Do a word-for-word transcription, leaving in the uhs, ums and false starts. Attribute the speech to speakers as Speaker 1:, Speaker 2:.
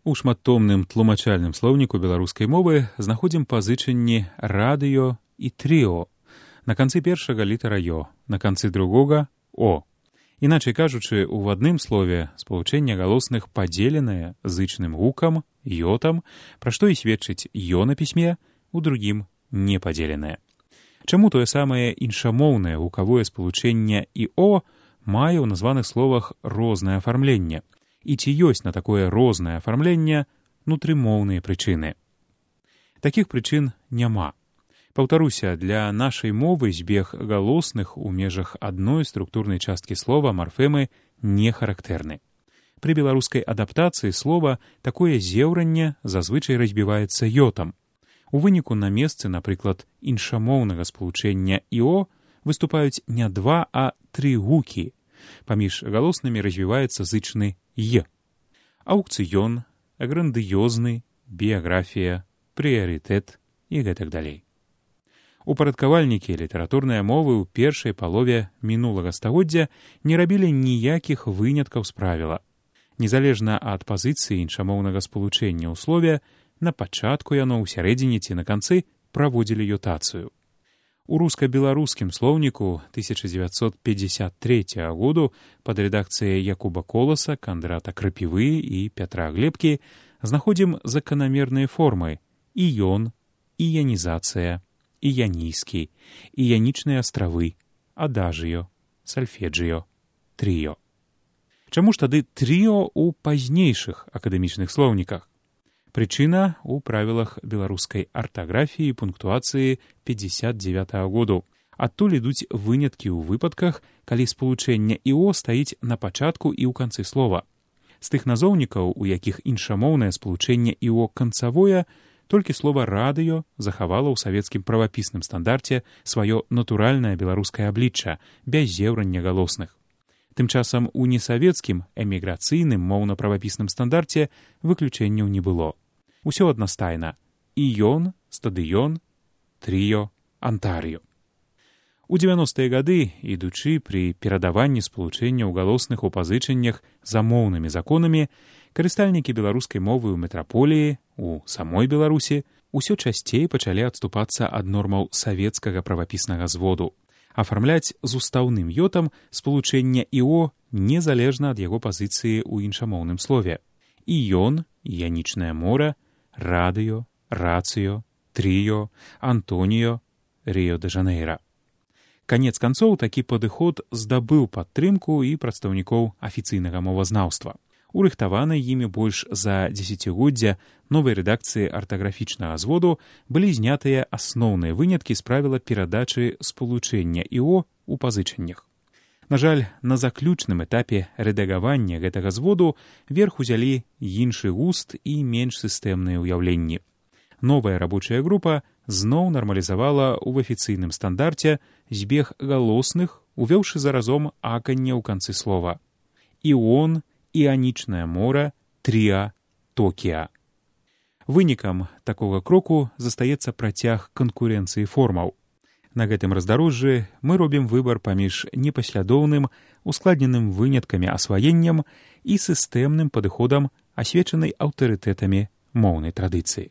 Speaker 1: У шматтомным тлумачальным слоўніку беларускай мовы знаходзім пазычанні радыё і трыо. На канцы першага літара «ё», на канцы другога «о». Іначай кажучы, у адным слове спалучэнне галосных падзеленае зычным гукам, «ётам», пра што і сведчыць «ё» на пісьме, у другім непадзеленае. Чаму тое самае іншамоўнае гукавое спалучэнне і «о» мае ў названых словах рознае афармленне? І ці ёсць на такое рознае афармленне нутрымоўныя прычыны? Такіх прычын няма. Паўтаруся, для нашай мовы збег галосных у межах адной структурнай часткі слова марфемы не характэрны. Пры беларускай адаптацыі слова такое зеўранне зазвычай разбіваецца ётам. У выніку на месцы, напрыклад, іншамоўнага спалучэння «іо» выступаюць не два, а тры гукі. Паміж галоснымі развіваецца зычны «е». Аўкцыён, грандыёзны, біяграфія, прыярытэт і гэтак далей. Упарадкавальнікі літаратурнай мовы ў першай палове мінулага стагоддзя не рабілі ніякіх выняткаў з правіла. Незалежна ад пазіцыі іншамоўнага спалучэння ў слове, на пачатку яно, ў сярэдзіне ці на канцы праводзілі ётацыю. У руска-беларускім слоўніку тысяча дзевяцьсот пятьдесят третьего году пад рэдакцыяй Якуба Коласа, Кандрата Крапівы і Пятра Глебкі знаходзім заканамерныя формы іён, іянізацыя, іянійскі, іянічныя астравы, адажыё, сальфеджыё, трыё. Чаму ж тады трыо ў пазнейшых акадэмічных слоўніках? Прычына ў правілах беларускай артаграфіі і пунктуацыі пятьдесят девятого году. Адтуль ідуць выняткі ў выпадках, калі спалучэнне «іо» стаіць на пачатку і ў канцы слова. З тых назоўнікаў, у якіх іншамоўнае спалучэнне «іо» канцавое, толькі слова «радыё» захавала ў савецкім правапісным стандарце сваё натуральнае беларускае аблічча, без зеўрання галосных. Тым часам у несавецкім эміграцыйным моўна-правапісным стандарце выключэнняў не было. Усё аднастайна: іён, стадыён, трыё, антарыё. У дзевяностыя гады, ідучы пры перадаванні спалучэнняў галосных у пазычаннях за моўнымі законамі, карыстальнікі беларускай мовы ў метраполіі, у самой Беларусі, усё часцей пачалі адступацца ад нормаў савецкага правапіснага зводу, афармляць з устаўным ётам спалучэнне «іо» незалежна ад яго пазіцыі ў іншамоўным слове. Іён, іянічнае мора, радыё, рацыё, трыё, антоніё, Рыё-дэ-Жанэйра. Канец канцоў, такі падыход здабыў падтрымку і прадстаўнікоў афіцыйнага мовазнаўства. Урыхтаванай імі больш за дзесяцігоддзя новай рэдакцыі артаграфічнага зводу былі знятыя асноўныя выняткі з правіла перадачы спалучэння «іо» у пазычаннях. На жаль, на заключным этапе рэдагавання гэтага зводу верх узялі іншы густ і менш сістэмныя ўяўленні. Новая рабочая група зноў нармалізавала ў афіцыйным стандарце збег галосных, увёўшы заразом аканне ў канцы слова. Іон, іанічнае мора, трыа, токіа. Вынікам такога кроку застаецца працяг канкурэнцыі формаў. На гэтым раздарожжы мы робім выбар паміж непаслядоўным, ускладненым выняткамі асваеннем і сістэмным падыходам, асвечанай аўтарытэтамі моўнай традыцыі.